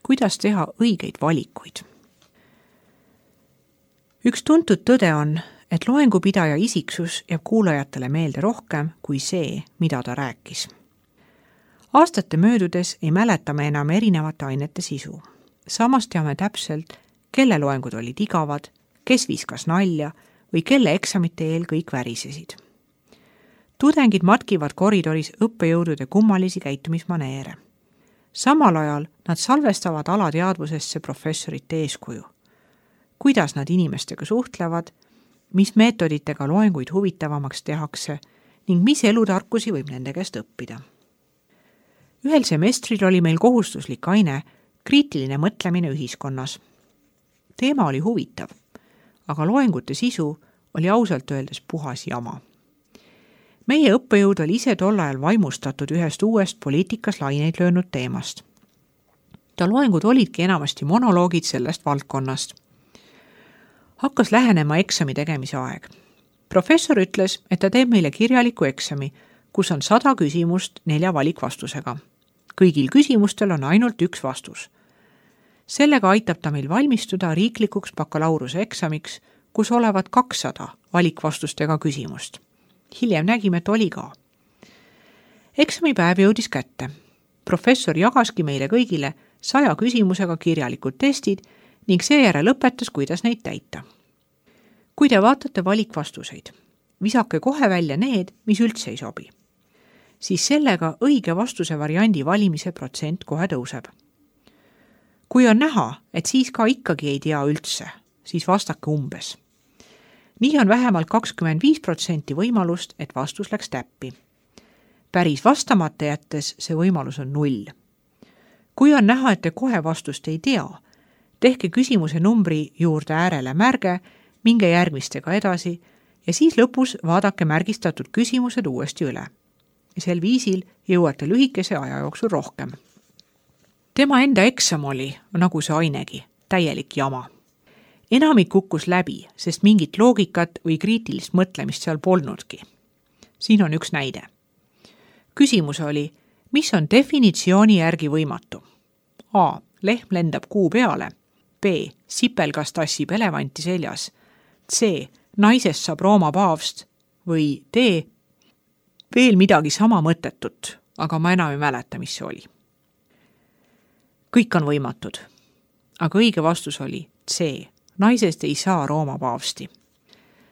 kuidas teha õigeid valikuid. Üks tuntud tõde on, et loengupidaja isiksus jääb kuulajatele meelde rohkem kui see, mida ta rääkis. Aastate möödudes ei mäleta me enam erinevate ainete sisu. Samas teame täpselt, kelle loengud olid igavad, kes viskas nalja või kelle eksamite eel kõik värisesid. Tudengid matkivad koridoris õppejõudude kummalisi käitumismaneere. Samal ajal nad salvestavad alateadvusesse professorite eeskuju. Kuidas nad inimestega suhtlevad, mis meetoditega loenguid huvitavamaks tehakse ning mis elutarkusi võib nende käest õppida. Ühel semestril oli meil kohustuslik aine kriitiline mõtlemine ühiskonnas. Teema oli huvitav, aga loengute sisu oli ausalt öeldes puhas jama. Meie õppejõud oli ise tol ajal vaimustatud ühest uuest poliitikas laineid löönud teemast. Ta loengud olidki enamasti monoloogid sellest valdkonnast. Hakkas lähenema eksami tegemise aeg. Professor ütles, et ta teeb meile kirjaliku eksami, kus on 100 küsimust 4 valikvastusega. Kõigil küsimustel on ainult üks vastus. Sellega aitab ta meil valmistuda riiklikuks bakalaureuse eksamiks, kus olevat 200 valikvastustega küsimust. Hiljem nägime, et oli ka. Eksamipäev jõudis kätte. Professor jagaski meile kõigile 100 küsimusega kirjalikud testid ning seejärel õpetas, kuidas neid täita. Kui te vaatate valikvastuseid, visake kohe välja need, mis üldse ei sobi. Siis sellega õige vastuse variandi valimise protsent kohe tõuseb. Kui on näha, et siis ka ikkagi ei tea üldse, siis vastake umbes. Nii on vähemalt 25% võimalust, et vastus läks täppi. Päris vastamata jättes see võimalus on 0. Kui on näha, et te kohe vastust ei tea, tehke küsimuse numbri juurde äärele märge, minge järgmistega edasi ja siis lõpus vaadake märgistatud küsimused uuesti üle. Sel viisil jõuate lühikese aja jooksul rohkem. Tema enda eksam oli, nagu see ainegi, täielik jama. Enamik kukkus läbi, sest mingit loogikat või kriitilist mõtlemist seal polnudki. Siin on üks näide. Küsimus oli, mis on definitsiooni järgi võimatu? A. Lehm lendab kuu peale. B. Sipelgas tassib elevanti seljas. C. Naisest saab Rooma paavst. Või D. Veel midagi sama mõttetut, aga ma enam ei mäleta, mis see oli. Kõik on võimatud, aga õige vastus oli C. Naisest ei saa Rooma paavsti,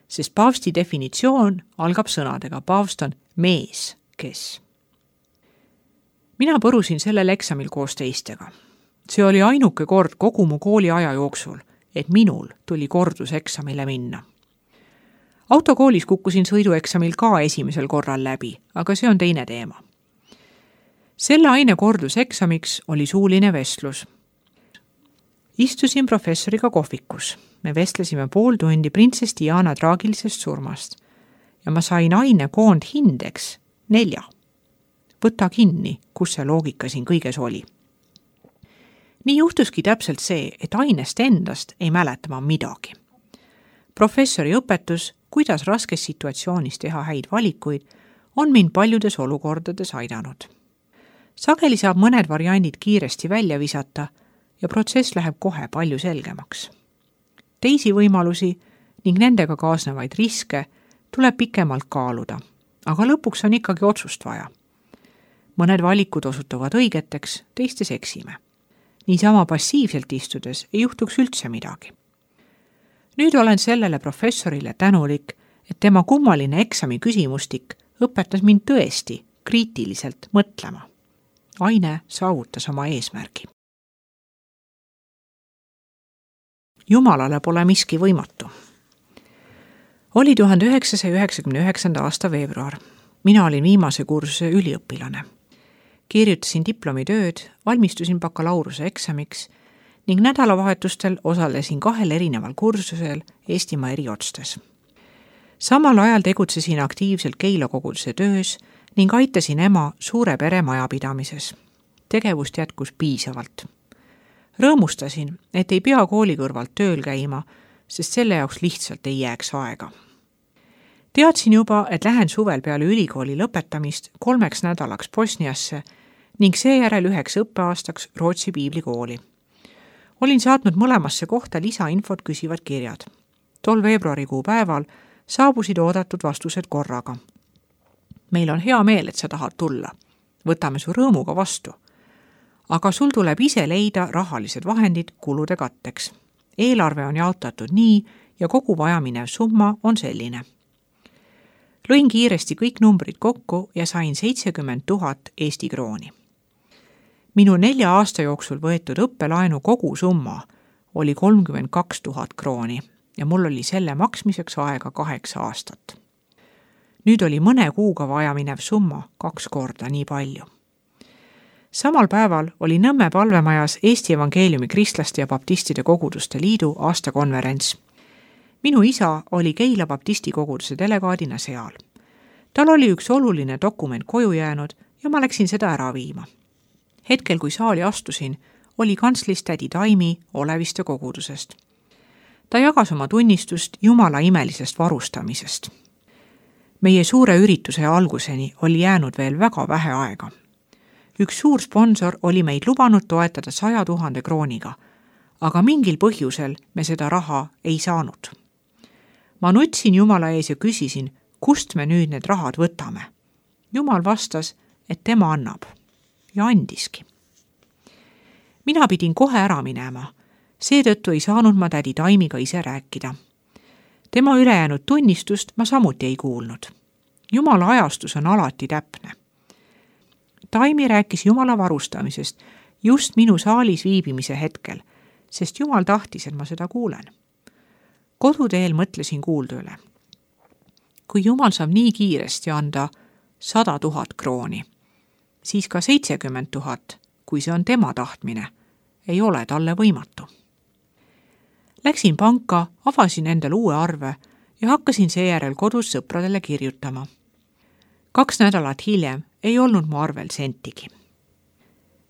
sest paavsti definitsioon algab sõnadega. Paavst on mees, kes. Mina põrusin sellel eksamil koos teistega. See oli ainuke kord kogu mu kooli aja jooksul, et minul tuli korduseksamile minna. Autokoolis kukkusin sõidueksamil ka esimesel korral läbi, aga see on teine teema. Selle aine korduseksamiks oli suuline vestlus. Istusin professoriga kohvikus. Me vestlesime pool tundi printsess Diana traagilisest surmast ja ma sain aine koondhindeks 4. Võta kinni, kus see loogika siin kõiges oli. Nii juhtuski täpselt see, et ainest endast ei mäleta ma midagi. Professori õpetus, kuidas raskes situatsioonis teha häid valikuid, on mind paljudes olukordades aidanud. Sageli saab mõned variandid kiiresti välja visata ja protsess läheb kohe palju selgemaks. Teisi võimalusi ning nendega kaasnevaid riske tuleb pikemalt kaaluda, aga lõpuks on ikkagi otsust vaja. Mõned valikud osutuvad õigeteks, teistes eksime. Niisama passiivselt istudes ei juhtuks üldse midagi. Nüüd olen sellele professorile tänulik, et tema kummaline eksami küsimustik õpetas mind tõesti kriitiliselt mõtlema. Aine saavutas oma eesmärgi. Jumalale pole miski võimatu. Oli 1999. aasta veebruar. Mina olin viimase kursuse üliõpilane. Kirjutasin diplomitööd, valmistusin bakalaureuse eksamiks ning nädalavahetustel osalesin 2 erineval kursusel Eestimaa eri otstes. Samal ajal tegutsesin aktiivselt Keila koguduse töös ning aitasin ema suure pere majapidamises. Tegevust jätkus piisavalt. Rõõmustasin, et ei pea kooli kõrvalt tööl käima, sest selle jaoks lihtsalt ei jääks aega. Teadsin juba, et lähen suvel peale ülikooli lõpetamist 3 nädalaks Bosniasse ning seejärel 1 õppeaastaks Rootsi piiblikooli. Olin saatnud mõlemasse kohta lisainfot küsivad kirjad. Tol veebruarikuu päeval saabusid oodatud vastused korraga. Meil on hea meel, et sa tahad tulla. Võtame su rõõmuga vastu. Aga sul tuleb ise leida rahalised vahendid kulude katteks. Eelarve on jaotatud nii ja kogu vajaminev summa on selline. Lõin kiiresti kõik numbrid kokku ja sain 70 000 Eesti krooni. Minu 4 aasta jooksul võetud õppelaenu kogu summa oli 32 000 krooni ja mul oli selle maksmiseks aega 8 aastat. Nüüd oli mõne kuuga vajaminev summa 2 korda nii palju. Samal päeval oli Nõmme palvemajas Eesti Evangeeliumi Kristlaste ja Baptistide Koguduste Liidu aastakonverents. Minu isa oli Keila Baptisti koguduse delegaadina seal. Tal oli üks oluline dokument koju jäänud ja ma läksin seda ära viima. Hetkel, kui saali astusin, oli kantslis tädi Taimi Oleviste kogudusest. Ta jagas oma tunnistust Jumala imelisest varustamisest. Meie suure ürituse alguseni oli jäänud veel väga vähe aega. Üks suur sponsor oli meid lubanud toetada 100 000 krooniga, aga mingil põhjusel me seda raha ei saanud. Ma nutsin Jumala ees ja küsisin, kust me nüüd need rahad võtame. Jumal vastas, et tema annab. Ja andiski. Mina pidin kohe ära minema. Seetõttu ei saanud ma tädi Taimiga ise rääkida. Tema ülejäänud tunnistust ma samuti ei kuulnud. Jumala ajastus on alati täpne. Taimi rääkis Jumala varustamisest just minu saalis viibimise hetkel, sest Jumal tahtis, et ma seda kuulen. Koduteel mõtlesin kuulda üle. Kui Jumal saab nii kiiresti anda 100 000 krooni, siis ka 70 000, kui see on tema tahtmine, ei ole talle võimatu. Läksin panka, avasin endale uue arve ja hakkasin seejärel kodus sõpradele kirjutama. 2 nädalat hiljem ei olnud mu arvel sentigi.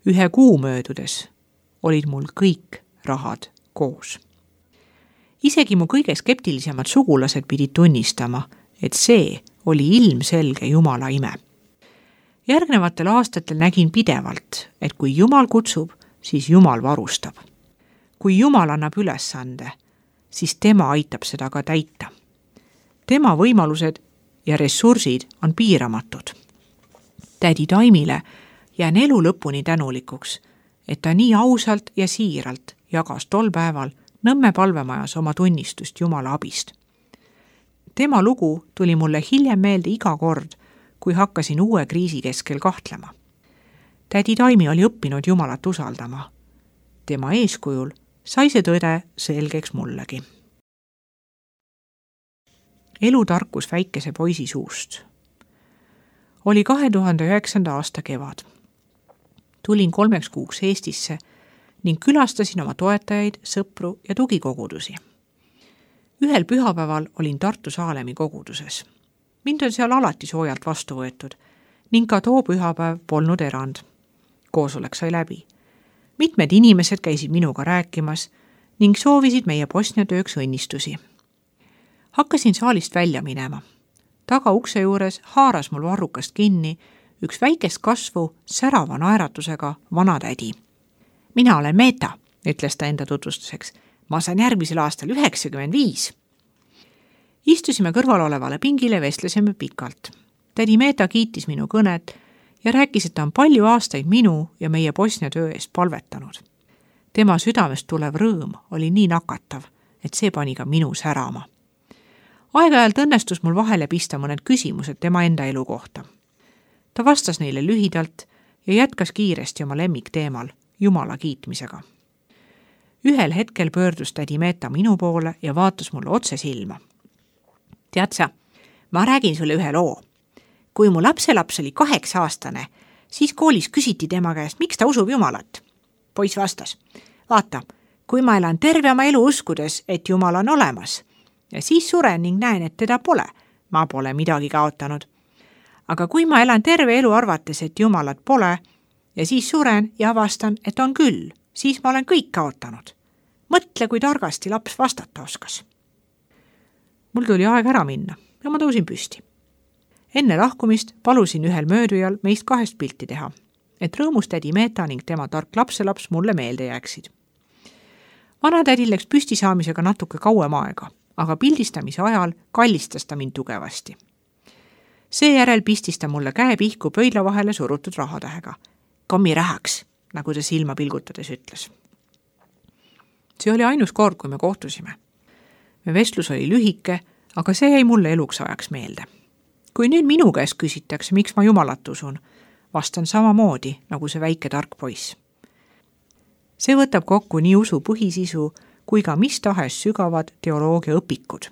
1 kuu möödudes olid mul kõik rahad koos. Isegi mu kõige skeptilisemad sugulased pidid tunnistama, et see oli ilmselge Jumala ime. Järgnevatel aastatel nägin pidevalt, et kui Jumal kutsub, siis Jumal varustab. Kui Jumal annab ülesande, siis tema aitab seda ka täita. Tema võimalused ja ressursid on piiramatud. Tädi Taimile jään elu lõpuni tänulikuks, et ta nii ausalt ja siiralt jagas tol päeval Nõmme palvemajas oma tunnistust Jumala abist. Tema lugu tuli mulle hiljem meelde iga kord, kui hakkasin uue kriisi keskel kahtlema. Tädi Taimi oli õppinud Jumalat usaldama. Tema eeskujul sai see tõde selgeks mullegi. Elutarkus väikese poisi suust. Oli 2009. aasta kevad. Tulin 3 kuuks Eestisse ning külastasin oma toetajaid, sõpru ja tugikogudusi. Ühel pühapäeval olin Tartu Saalemi koguduses. Mind on seal alati soojalt vastu võetud ning ka too pühapäev polnud erand. Koosolek sai läbi. Mitmed inimesed käisid minuga rääkimas ning soovisid meie Bosnia tööks õnnistusi. Hakkasin saalist välja minema. Taga ukse juures haaras mul varrukast kinni üks väikest kasvu särava naeratusega vanatädi. Mina olen Meeta, ütles ta enda tutvustuseks. Ma saan järgmisel aastal 95. Istusime kõrval olevale pingile, vestlesime pikalt. Tädi Meeta kiitis minu kõnet ja rääkis, et ta on palju aastaid minu ja meie Bosnia töö eest palvetanud. Tema südamest tulev rõõm oli nii nakatav, et see pani ka minu särama. Aeg-ajalt õnnestus mul vahele pista mõned küsimused tema enda elu kohta. Ta vastas neile lühidalt ja jätkas kiiresti oma lemmikteemal, Jumala kiitmisega. Ühel hetkel pöördus tädi Meeta minu poole ja vaatas mulle otse silma. Tead sa, ma räägin sulle ühe loo. Kui mu lapselaps oli 8-aastane, siis koolis küsiti tema käest, miks ta usub Jumalat. Poiss vastas, vaata, kui ma elan terve oma elu uskudes, et Jumal on olemas, ja siis suren ning näen, et teda pole, ma pole midagi kaotanud. Aga kui ma elan terve elu arvates, et Jumalat pole, ja siis suren ja avastan, et on küll, siis ma olen kõik kaotanud. Mõtle, kui targasti laps vastata oskas. Mul tuli aeg ära minna ja ma tõusin püsti. Enne lahkumist palusin ühel möödujal meist 2 pilti teha, et rõõmus tädi Meeta ning tema tark lapselaps mulle meelde jääksid. Vanatädil läks püstisaamisega natuke kauem aega, aga pildistamise ajal kallistas ta mind tugevasti. Seejärel pistis ta mulle käe pihku pöidla vahele surutud rahatähega. Kammi rähaks, nagu ta silma pilgutades ütles. See oli ainus kord, kui me kohtusime. Me vestlus oli lühike, aga see jäi mulle eluks ajaks meelde. Kui nüüd minu käest küsitakse, miks ma Jumalat usun, vastan samamoodi, nagu see väike tark poiss. See võtab kokku nii usu põhisisu kui ka mis tahes sügavad teoloogia õpikud.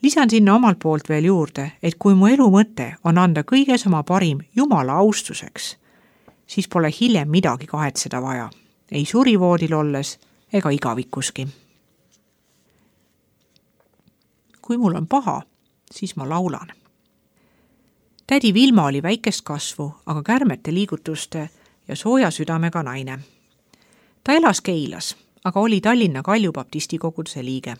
Lisan sinna omalt poolt veel juurde, et kui mu elu mõte on anda kõiges oma parim Jumala austuseks, siis pole hiljem midagi kahetseda vaja, ei surivoodil olles ega igavikuski. Kui mul on paha, siis ma laulan. Tädi Vilma oli väikest kasvu, aga kärmete liigutuste ja sooja südamega naine. Ta elas Keilas, aga oli Tallinna Kalju baptisti koguduse liige.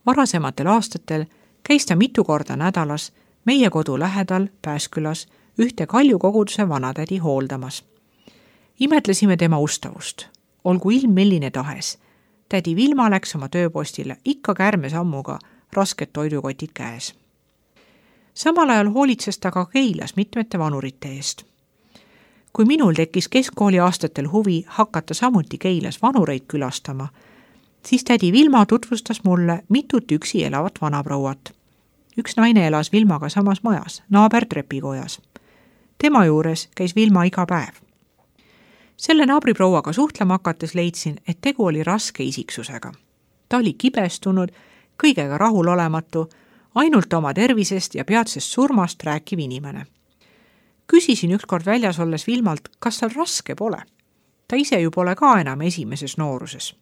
Varasematel aastatel käis ta mitu korda nädalas meie kodu lähedal Pääskülas ühte Kalju koguduse vanatädi hooldamas. Imetlesime tema ustavust. Olgu ilm milline tahes. Tädi Vilma läks oma tööpostile ikka kärme sammuga rasked toidukotid käes. Samal ajal hoolitses ta ka Keilas mitmete vanurite eest. Kui minul tekkis keskkooli aastatel huvi hakata samuti Keilas vanureid külastama, siis tädi Vilma tutvustas mulle mitut üksi elavat vanaprouat. Üks naine elas Vilmaga samas majas, naabertrepikojas. Tema juures käis Vilma iga päev. Selle naabriprouaga suhtlema hakates leidsin, et tegu oli raske isiksusega. Ta oli kibestunud, kõigega rahulolematu, ainult oma tervisest ja peatsest surmast rääkiv inimene. Küsisin ükskord väljas olles Vilmalt, kas tal raske pole. Ta ise ju pole ka enam esimeses nooruses.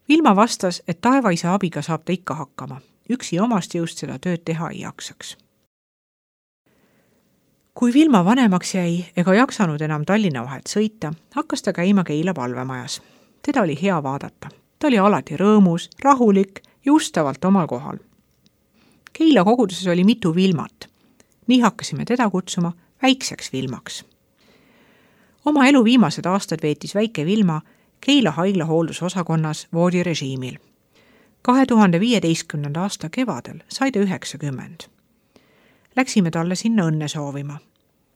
Vilma vastas, et taevaisa abiga saab ta ikka hakkama. Üksi omast jõust seda tööd teha ei jaksaks. Kui Vilma vanemaks jäi ega jaksanud enam Tallinna vahet sõita, hakkas ta käima Keila palvemajas. Teda oli hea vaadata. Ta oli alati rõõmus, rahulik ja ustavalt omal kohal. Keila koguduses oli mitu Vilmat. Nii hakkasime teda kutsuma väikseks Vilmaks. Oma elu viimased aastad veetis väike Vilma Keila haigla hooldusosakonnas voodirežiimil. 2015. aasta kevadel sai ta 90. Läksime talle sinna õnne soovima.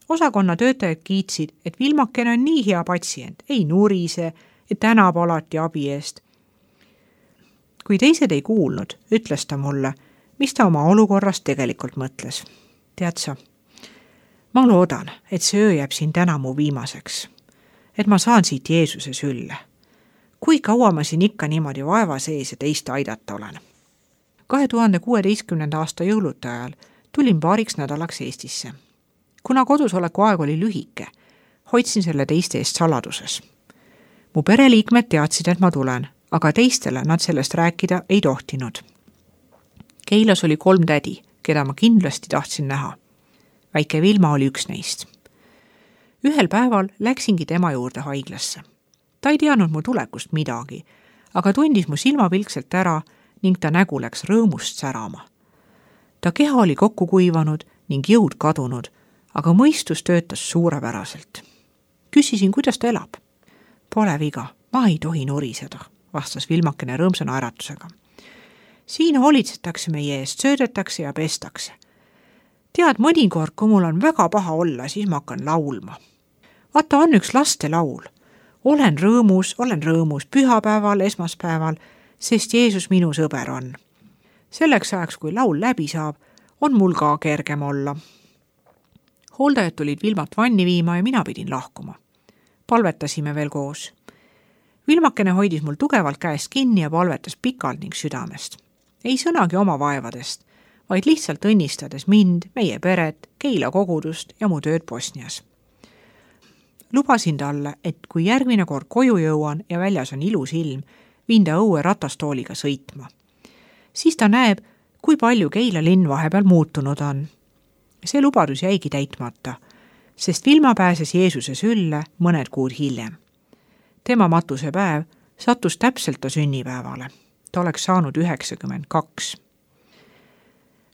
Osakonna töötajad kiitsid, et Vilmakene on nii hea patsient, ei nurise ja tänab alati abi eest. Kui teised ei kuulnud, ütles ta mulle, mis ta oma olukorrast tegelikult mõtles. Tead sa, ma loodan, et see öö jääb siin täna mu viimaseks, et ma saan siit Jeesuse sülle. Kui kaua ma siin ikka niimoodi vaeva sees ja teist aidata olen? 2016. aasta jõulude ajal tulin paariks nädalaks Eestisse. Kuna kodusoleku aeg oli lühike, hoidsin selle teiste eest saladuses. Mu pereliikmed teadsid, et ma tulen, aga teistele nad sellest rääkida ei tohtinud. Keilas oli 3 tädi, keda ma kindlasti tahtsin näha. Väike Vilma oli üks neist. Ühel päeval läksingi tema juurde haiglasse. Ta ei teadnud mu tulekust midagi, aga tundis mu silmapilkselt ära ning ta nägu läks rõõmust särama. Ta keha oli kokku kuivanud ning jõud kadunud, aga mõistus töötas suurepäraselt. Küsisin, kuidas ta elab. Pole viga, ma ei tohi nuriseda, vastas Vilmakene rõõmsa naeratusega. Siin hoolitsetakse meie eest, söödetakse ja pestakse. Tead, mõnikord, kui mul on väga paha olla, siis ma hakkan laulma. Vaata, on üks lastelaul. Olen rõõmus pühapäeval, esmaspäeval, sest Jeesus minu sõber on. Selleks ajaks, kui laul läbi saab, on mul ka kergem olla. Hooldajad tulid Vilmat vanni viima ja mina pidin lahkuma. Palvetasime veel koos. Vilmakene hoidis mul tugevalt käest kinni ja palvetas pikalt ning südamest. Ei sõnagi oma vaevadest, vaid lihtsalt õnnistades mind, meie peret, Keila kogudust ja mu tööd Bosnias. Lubasin talle, et kui järgmine kord koju jõuan ja väljas on ilus ilm, viin ta õue ratastooliga sõitma. Siis ta näeb, kui palju Keila linn vahepeal muutunud on. See lubadus jäigi täitmata, sest Vilma pääses Jeesuse sülle mõned kuud hiljem. Tema matusepäev sattus täpselt ta sünnipäevale. Ta oleks saanud 92.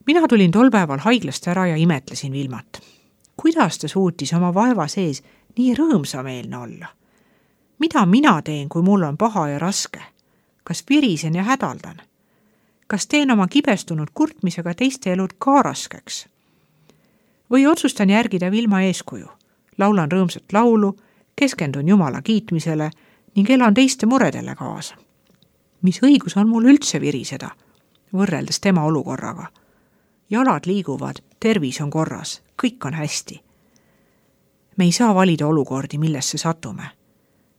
Mina tulin tol päeval haiglast ära ja imetlesin Vilmat. Kuidas ta suutis oma vaeva sees nii rõõmsameelne olla? Mida mina teen, kui mul on paha ja raske? Kas virisen ja hädaldan? Kas teen oma kibestunud kurtmisega teiste elud ka raskeks? Või otsustan järgida Vilma eeskuju, laulan rõõmsat laulu, keskendun Jumala kiitmisele ning elan teiste muredele kaasa? Mis õigus on mul üldse viriseda, võrreldes tema olukorraga? Jalad liiguvad, tervis on korras, kõik on hästi. Me ei saa valida olukordi, millesse satume.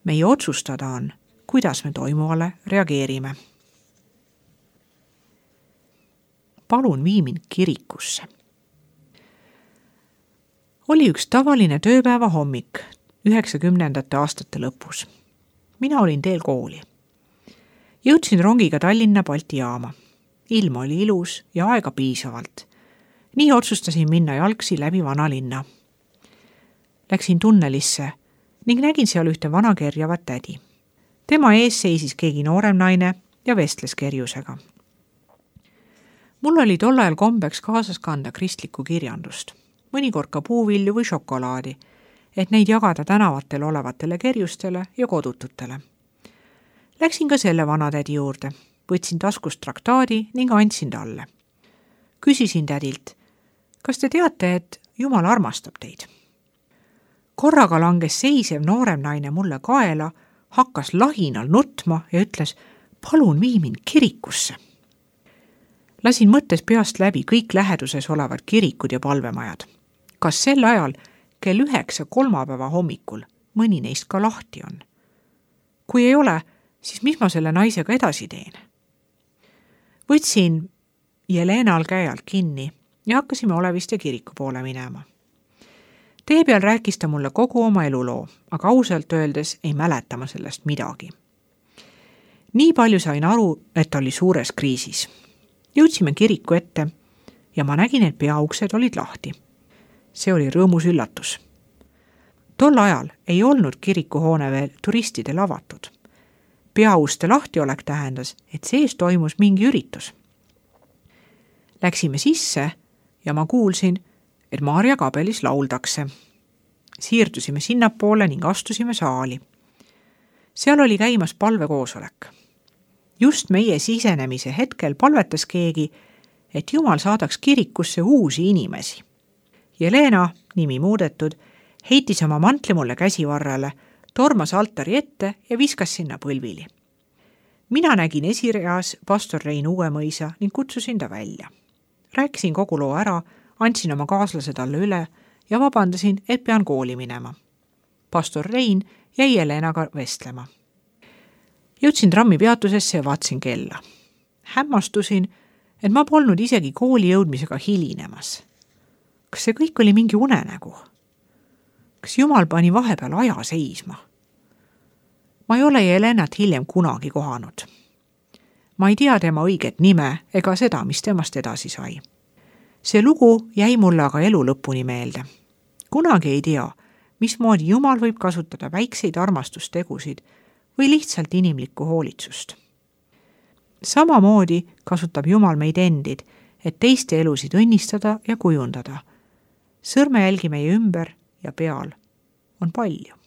Meie otsustada on, kuidas me toimuvale reageerime. Palun vii mind kirikusse. Oli üks tavaline tööpäeva hommik 90. aastate lõpus. Mina olin teel kooli. Jõudsin rongiga Tallinna Balti jaama. Ilm oli ilus ja aega piisavalt. Nii otsustasin minna jalgsi läbi vanalinna. Läksin tunnelisse ning nägin seal ühte vana kerjavat tädi. Tema ees seisis keegi noorem naine ja vestles kerjusega. Mul oli tol ajal kombeks kaasas kanda kristlikku kirjandust, mõnikord ka puuvilju või šokolaadi, et neid jagada tänavatel olevatele kerjustele ja kodututele. Läksin ka selle vanatädi juurde, võtsin taskust traktaadi ning andsin talle. Küsisin tädilt, kas te teate, et Jumal armastab teid? Korraga langes seisev noorem naine mulle kaela, hakkas lahinal nutma ja ütles, palun vii mind kirikusse. Lasin mõttes peast läbi kõik läheduses olevad kirikud ja palvemajad. Kas sel ajal kell 9 kolmapäeva hommikul mõni neist ka lahti on? Kui ei ole, siis mis ma selle naisega edasi teen? Võtsin Jelenal käe alt kinni ja hakkasime Oleviste kiriku poole minema. Tee peal rääkis ta mulle kogu oma eluloo, aga ausalt öeldes ei mäleta ma sellest midagi. Nii palju sain aru, et ta oli suures kriisis. Jõudsime kiriku ette ja ma nägin, et peauksed olid lahti. See oli rõõmus üllatus. Tol ajal ei olnud kirikuhoone veel turistidele avatud. Peauste lahtiolek tähendas, et sees toimus mingi üritus. Läksime sisse ja ma kuulsin, et Maarja kabelis lauldakse. Siirdusime sinnapoole ning astusime saali. Seal oli käimas palvekoosolek. Just meie sisenemise hetkel palvetas keegi, et Jumal saadaks kirikusse uusi inimesi. Jelena, nimi muudetud, heitis oma mantli mulle käsivarrele, tormas altari ette ja viskas sinna põlvili. Mina nägin esireas pastor Rein Uuemõisa ning kutsusin ta välja. Rääkisin kogu loo ära, andsin oma kaaslase talle üle ja vabandasin, et pean kooli minema. Pastor Rein jäi Jelenaga vestlema. Jõudsin trammi peatusesse ja vaatsin kella. Hämmastusin, et ma polnud isegi kooli jõudmisega hilinemas. Kas see kõik oli mingi unenägu? Kas Jumal pani vahepeal aja seisma? Ma ei ole Jelenat hiljem kunagi kohanud. Ma ei tea tema õiget nime ega seda, mis temast edasi sai. See lugu jäi mulle aga elu lõpuni meelde. Kunagi ei tea, mismoodi Jumal võib kasutada väikseid armastustegusid või lihtsalt inimlikku hoolitsust. Samamoodi kasutab Jumal meid endid, et teiste elusid õnnistada ja kujundada. Sõrmejälgi meie ümber ja peal on palju.